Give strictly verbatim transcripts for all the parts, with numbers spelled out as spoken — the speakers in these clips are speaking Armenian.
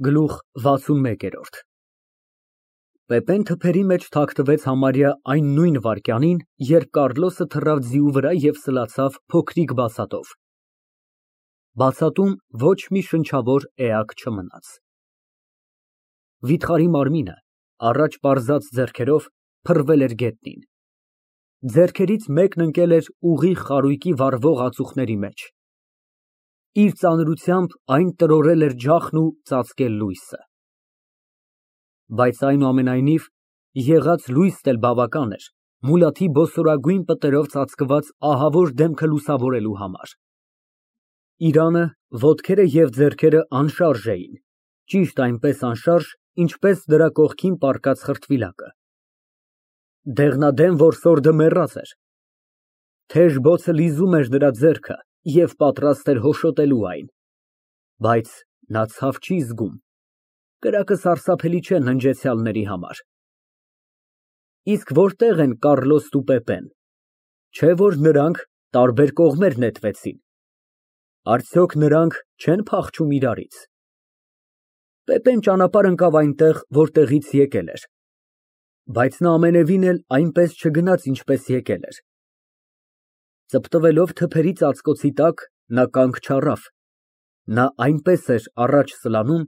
Գլուխ վաթսունմեկ։ Պեպեն թփերի մեջ թաքնվեց համարյա այն նույն վայրկյանին, երբ Կառլոսը թռավ ձիու վրա և սլացավ փոքրիկ բացատով։ Բացատում ոչ մի շնչավոր էակ չմնաց։ Վիթխարի մարմինը, առաջ պարզած ձեռքերով, փռվել էր գետնին։ Ձեռքերից մեկն ընկել էր ուղիղ խարույկի վառվող ածուխների մեջ։ Իր ծանրությամբ այն տրորել էր ջախն ու ծածկել լույսը։ Բայց այնուամենայնիվ, եղած լույսն էլ բավական էր Մուլաթի բոսորագույն պտերով ծածկված ահավոր դեմքը լուսավորելու համար։ Իրանը, ոտքերը և ձեռքերը անշարժ էին, ճիշտ այնպես անշարժ, ինչպես նրա կողքին պառկած խրտվիլակը։ Դեղնադեմ որսորդը մեռած էր։ Թեժ բոցը լիզում էր նրա ձեռքը և պատրաստ էր հոշոտելու այն։ Բայց նա ցավ չի զգում։ Կրակը սարսափելի չէ ննջեցյալների համար։ Իսկ որտե՞ղ են Կառլոսն ու Պեպեն, չէ՞ որ նրանք տարբեր կողմեր նետվեցին։ Արդյոք նրանք չեն փախչում իրարից։ Պեպեն ճանապարհ ընկավ այնտեղ, որտեղից եկել էր։ Բայց նա ամենևին էլ այնպես չգնաց, ինչպես եկել էր։ Ծպտվելով թփերի ծածկոցի տակ, նա կանգ չառավ։ Նա այնպես էր առաջ սլանում,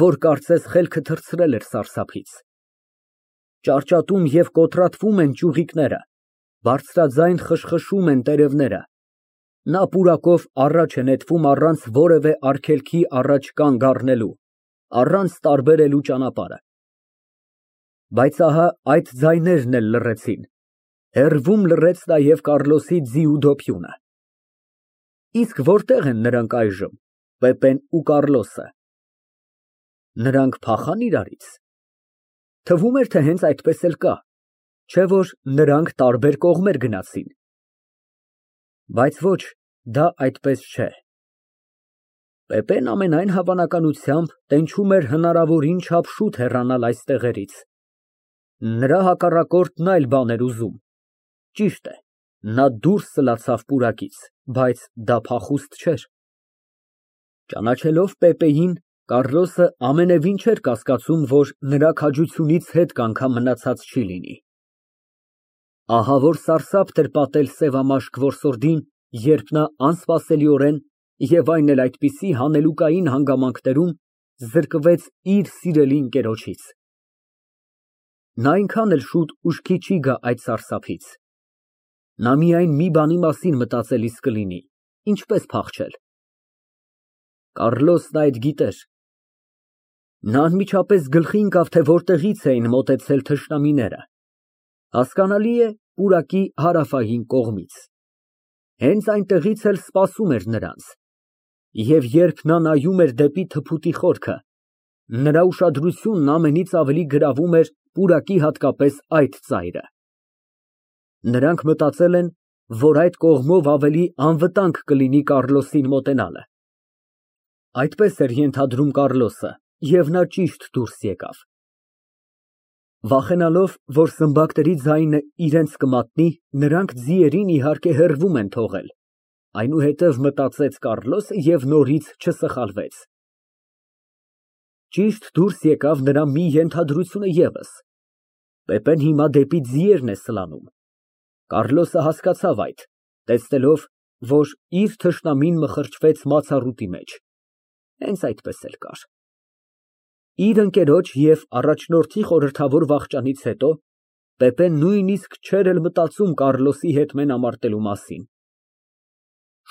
որ կարծես խելքը թռցրել էր սարսափից։ Ճարճատում և կոտրատվում են ճյուղիկները, բարձրաձայն խշխշում են տերևները։ Նա պուրակով առաջ է նետվում առանց որևէ արգելքի առաջ կանգ առնելու, առանց տարբերելու ճանապարհը։ Բայց ահա այդ ձայներն էլ լռեցին, հեռվում լռեց նաև Կառլոսի ձիու դոփյունը։ Իսկ որտե՞ղ են նրանք այժմ, Պեպեն ու Կառլոսը։ Նրանք փախա՞ն իրարից։ Թվում էր, թե հենց այդպես էլ կա, չէ՞ որ նրանք տարբեր կողմեր գնացին։ Բայց ոչ, դա այդպես չէ։ Պեպեն ամենայն հավանականությամբ տենչում էր հնարավորին չափ շուտ հեռանալ այս տեղերից։ Նրա հակառակորդն այլ բան էր ուզում։ Ճիշտ է, նա դուրս սլացավ պուրակից, բայց դա փախուստ չէր։ Ճանաչելով Պեպեին, Կառլոսը ամենևին չէր կասկածում, որ նրա քաջությունից հետ կանգամ մնացած չի լինի։ Ահա որ սարսափ էր պատել սևամաշկ որսորդին, երբ նա անսպասելիորեն և այն էլ այդպիսի հանելուկային հանգամանքներում զրկվեց իր սիրելի ընկերոջից։ Նա այնքան էլ շուտ ուշքի չի գա այդ սարսափից։ Նա միայն մի բանի մասին մտածելիս կլինի, ինչպես փախչել։ Կառլոսն այդ գիտեր։ Նա անմիջապես գլխի ընկավ, թե որտեղից էին մոտեցել թշնամիները։ Հասկանալի է, պուրակի հարավային կողմից։ Հենց այնտեղից էլ սպասում էր նրանց։ Եվ երբ նա նայում էր դեպի թփուտի խորքը, նրա ուշադրությունն ամենից ավելի գրավում էր պուրակի հատկապես այդ ծայրը։ Նրանք մտածել են, որ այդ կողմով ավելի անվտանգ կլինի Կառլոսին մոտենալը։ Այդպես էր ենթադրում Կառլոսը, և նա ճիշտ դուրս եկավ։ Վախենալով, որ սմբակների ձայնը իրենց կմատնի, նրանք ձիերին իհարկե հեռվում են թողել, այնուհետև մտածեց Կառլոսը և նորից չսխալվեց։ Ճիշտ դուրս եկավ նրա մի ենթադրությունը ևս. Պեպեն հիմա դեպի ձիերն է սլանում։ Կառլոսը հասկացավ այդ, տեսնելով, որ իր թշնամին մխրճվեց մացառուտի մեջ։ Հենց այդպես էլ կար։ Իր ընկերոջ և առաջնորդի խորհրդավոր վախճանից հետո Պեպեն նույնիսկ չէր էլ մտածում Կառլոսի հետ մենամարտելու մասին։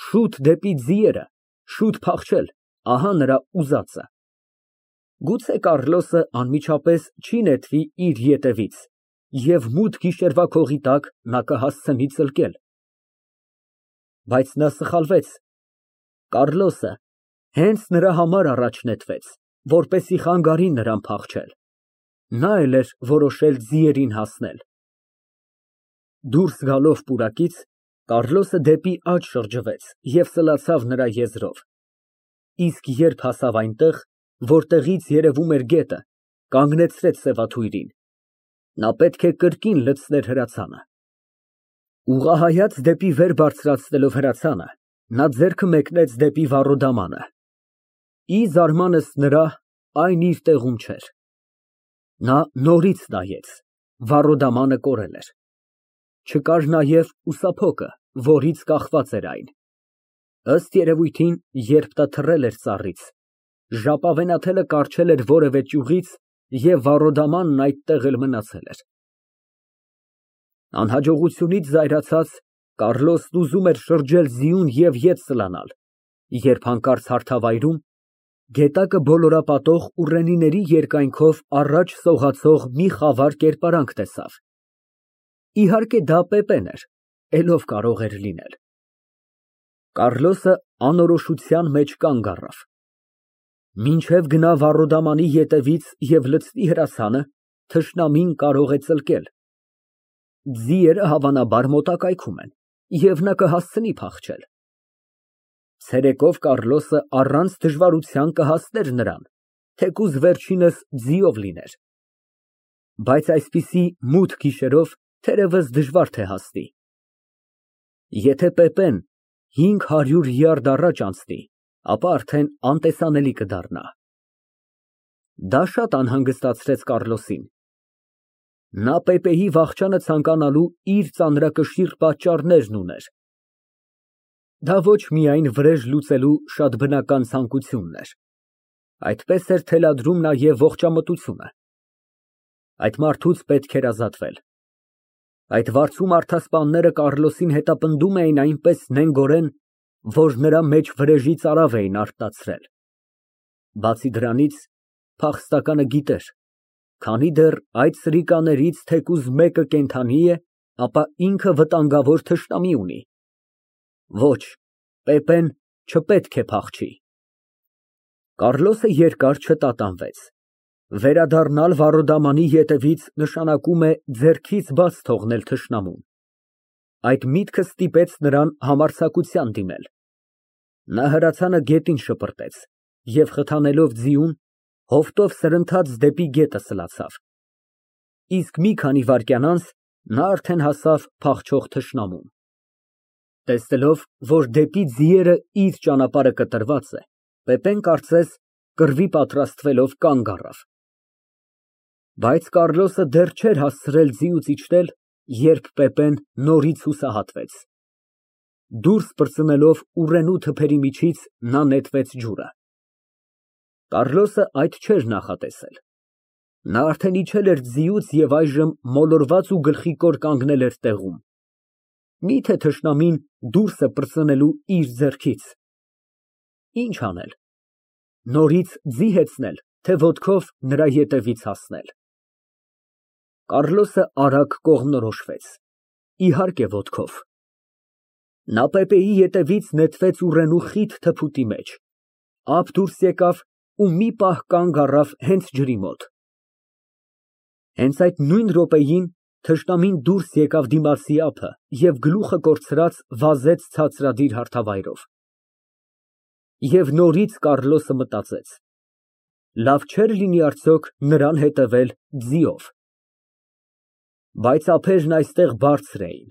Շուտ դեպի ձիերը, շուտ փախչել, ահա նրա ուզածը։ Գուցե Կառլոսը անմիջապես չի նետվի իր ետևից, և մութ գիշերվա քողի տակ նա կհասցնի ծլկել։ Բայց նա սխալվեց։ Կառլոսը հենց նրա համար առաջ նետվեց, որպեսզի խանգարի նրան փախչել։ Նա էլ էր որոշել ձիերին հասնել։ Դուրս գալով պուրակից, Կառլոսը դեպի աջ շրջվեց և սլացավ նրա եզրով։ Իսկ երբ հասավ այնտեղ, որտեղից երևում էր գետը, կանգնեցրեց սևաթույրին։ Նա պետք է կրկին լցներ հրացանը։ Ուղղահայաց դեպի վեր բարձրացնելով հրացանը, նա ձեռքը մեկնեց դեպի վառոդամանը։ Ի զարմանքս նրա, այն իր տեղում չէր։ Նա նորից նայեց, վառոդամանը կորել էր։ Չկար նաև ուսափոկը, որից կախված էր այն։ Ըստ երևույթին, երբ դա թռել էր ծառից, ժապավենաթելը կառչել էր որևէ ճյուղից և վառոդամանն այդտեղ էլ մնացել էր։ Անհաջողությունից զայրացած, Կառլոսն ուզում էր շրջել ձիուն և ետ սլանալ, երբ հանկարծ հարթավայրում գետակը բոլորապատող ուռենիների երկայնքով առաջ սողացող մի խավար կերպարանք տեսավ։ Իհարկե դա Պեպեն էր, էլ ով կարող էր լինել։ Կառլոսը անորոշության մեջ կանգ առավ։ Մինչև գնա վառոդամանի ետևից և լցնի հրացանը, թշնամին կարող է ծլկել։ Ձիերը հավանաբար մոտակայքում են, և նա կհասցնի փախչել։ Ցերեկով Կառլոսը առանց դժվարության կհասներ նրան, թեկուզ վերջինս ձիով լիներ։ Բայց այսպիսի մութ գիշերով թերևս դժվար թե հասնի։ Եթե Պեպեն հինգ հարյուր յարդ առաջ անցնի, ապա արդեն անտեսանելի կդառնա։ Դա շատ անհանգստացրեց Կառլոսին։ Նա Պեպեի վախճանը ցանկանալու իր ծանրակշիռ պատճառներն ուներ։ Դա ոչ միայն վրեժ լուծելու շատ բնական ցանկությունն էր, այդպես էր թելադրում նաև ողջամտությունը։ Այդ մարդուց պետք էր ազատվել։ Այդ վարձու մարդասպանները Կառլոսին հետապնդում էին այնպես նենգորեն, որ նրա մեջ վրեժի ծարավ էին արտացրել։ Բացի դրանից, փախստականը գիտեր, քանի դեռ այդ սրիկաներից թեկուզ մեկը կենդանի է, ապա ինքը վտանգավոր թշնամի ունի։ Ոչ, Պեպեն չպետք է փախչի։ Կառլոսը երկար չտատանվեց։ Վերադառնալ վառոդամանի ետևից նշանակում է ձեռքից բաց թողնել թշնամուն։ Այդ միտքը ստիպեց նրան համարձակության դիմել։ Նա հրացանը գետին շպրտեց և խթանելով ձիուն, հովտով սրընթաց դեպի գետը սլացավ։ Իսկ մի քանի վայրկյան անց նա արդեն հասավ փախչող թշնամուն։ Տեսնելով, որ դեպի ձիերը իր ճանապարհը կտրված է, Պեպեն կարծես կռվի պատրաստվելով կանգ առավ։ Բայց Կառլոսը դեռ չէր հասցրել ձիուց իջնել, երբ Պեպեն նորից հուսահատվեց։ Դուրս պրծնելով ուռենու թփերի միջից նա նետվեց ջուրը։ Կառլոսը այդ չէր նախատեսել։ Նա արդեն իջել էր ձիուց և այժմ մոլորված ու գլխիկոր կանգնել էր տեղում։ Մի՞թե թշնամին դուրս է պրծնելու իր ձեռքից։ Ի՞նչ անել։ Նորից ձի հեծնե՞լ, թե ոտքով նրա ետևից հասնել։ Կառլոսը արագ կողմնորոշվեց։ Իհարկե ոտքով։ Նա Պեպեի ետևից նետվեց ուռենու խիտ թփուտի մեջ, ափ դուրս եկավ ու մի պահ կանգ առավ հենց ջրի մոտ։ Հենց այդ նույն րոպեին թշնամին դուրս եկավ դիմացի ափը և գլուխը կորցրած վազեց ցածրադիր հարթավայրով։ Եվ նորից Կառլոսը մտածեց. լավ չէր լինի արդյոք նրան հետևել ձիով։ Բայց ափերն այստեղ բարձր էին,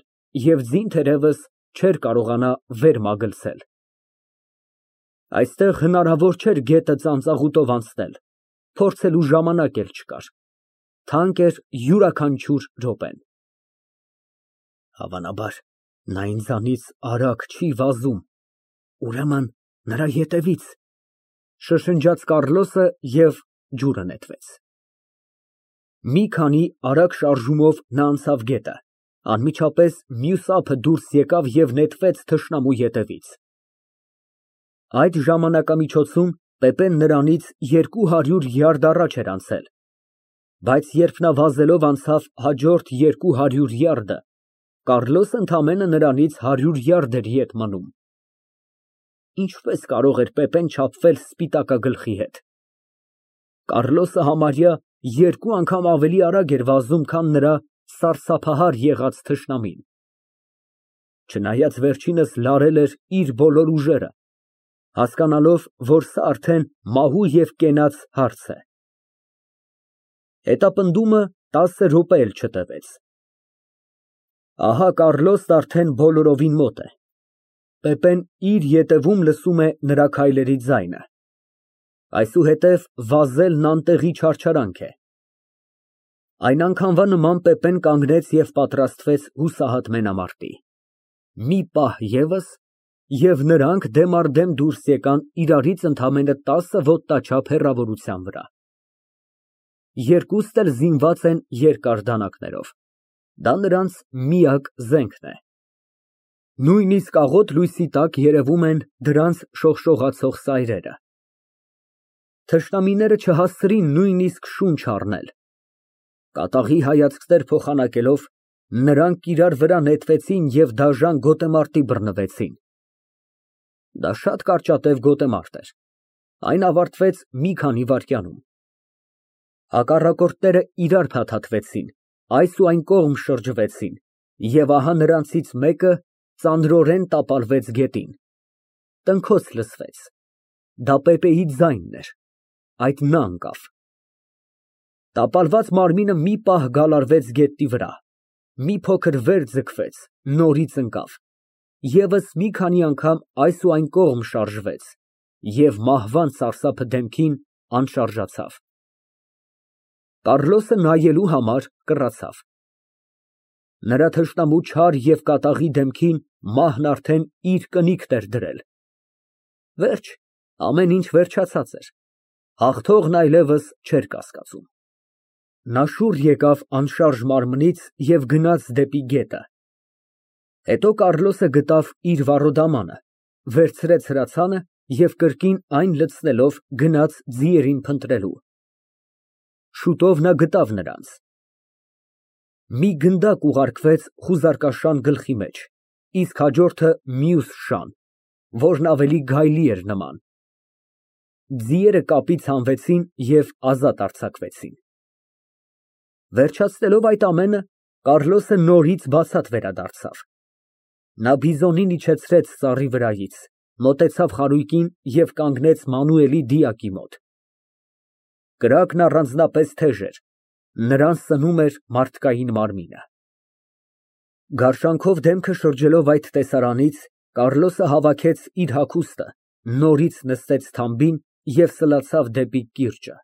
և ձին թերևս չէր կարողանա վեր մագլցել։ Այստեղ հնարավոր չէր գետը ծանծաղուտով անցնել, փորձելու ժամանակ էլ չկար, թանկ էր յուրաքանչյուր րոպեն։ Հավանաբար նա ինձանից արագ չի վազում, ուրեմն նրա ետևից, շշնջաց Կառլոսը և ջուրը նետվեց։ Մի քանի արագ շարժումով նա անցավ գետը, անմիջապես մյուս ափը դուրս եկավ և նետվեց թշնամու ետևից։ Այդ ժամանակամիջոցում Պեպեն նրանից երկու հարյուր յարդ առաջ էր անցել, բայց երբ նա վազելով անցավ հաջորդ երկու հարյուր յարդը, Կառլոսը ընդամենը նրանից հարյուր յարդ էր ետ մնում։ Ինչպես կարող էր Պեպեն չափվել սպիտակագլխի հետ։ Կառլոսը համարյա երկու անգամ ավելի արագ էր վազում, քան նրա սարսափահար եղած թշնամին։ Չնայած վերջինս լարել էր իր բոլոր ուժերը, հասկանալով, որ սա արդեն մահու և կենաց հարց է։ Հետապնդումը տասը րոպե էլ չտևեց։ Ահա Կառլոսն արդեն բոլորովին մոտ է։ Պեպեն իր ետևում լսում է նրա քայլերի ձայնը։ Այսուհետև վազելն անտեղի չարչարանք է։ Այն անգամվա նման Պեպեն կանգնեց և պատրաստվեց հուսահատ մենամարտի։ Մի պահ ևս, և նրանք դեմ առ դեմ դուրս եկան իրարից ընդամենը տասը ոտնաչափ հեռավորության վրա։ Երկուսն էլ զինված են երկար դանակներով, դա նրանց միակ զենքն է։ Նույնիսկ աղոտ լույսի տակ երևում են դրանց շողշողացող սայրերը։ Թշնամիները չհասցրին նույնիսկ շունչ առնել։ Կատաղի հայացքներ փոխանակելով, նրանք իրար վրա նետվեցին և դաժան գոտեմարտի բռնվեցին։ Դա շատ կարճատև գոտեմարտ էր, այն ավարտվեց մի քանի վայրկյանում։ Հակառակորդները իրար փաթաթվեցին, այս ու այն կողմ շրջվեցին, և ահա նրանցից մեկը ծանրորեն տապալվեց գետին։ Տնքոց լսվեց, դա Պեպեի ձայնն էր, այդ նա ընկավ։ Տապալված մարմինը մի պահ գալարվեց գետնի վրա, մի փոքր վեր ձգվեց, նորից ընկավ, ևս մի քանի անգամ այս ու այն կողմ շարժվեց և մահվան սարսափը դեմքին անշարժացավ։ Կարլոսը նայելու համար կռացավ։ Նրա թշնամու չար և կատաղի դեմքին մահն արդեն իր կնիկն էր դրել։ Վերջ, ամեն ինչ վերջացած էր, հաղթողն այլևս չէր կասկածում։ Նա շուռ եկավ անշարժ մարմնից և գնաց դեպի գետը։ Հետո Կարլոսը գտավ իր վառոդամանը, վերցրեց հրացանը և կրկին այն լցնելով գնաց ձիերին փնտրելու։ Շուտով նա գտավ նրանց։ Մի գնդակ ուղարկվեց խուզարկաշան գլխի մեջ, իսկ հաջորդը մյուս շան, որն ավելի գայլի էր նման։ Ձիերը կապից հանվեցին և ազատ արձակվեցին։ Վերջացնելով այդ ամենը, Կարլոսը նորից բացատ վերադարձավ։ Նա բիզոնին իջեցրեց ծառի վրայից, մոտեցավ խարույկին և կանգնեց Մանուելի դիակի մոտ։ Կրակն առանձնապես թեժ էր, նրան սնում էր մարդկային մարմինը։ Գարշանքով դեմքը շրջելով այդ տեսարանից, Կարլոսը հավաքեց իր հագուստը, նորից նստեց թամբին և սլացավ դեպի կիրճը։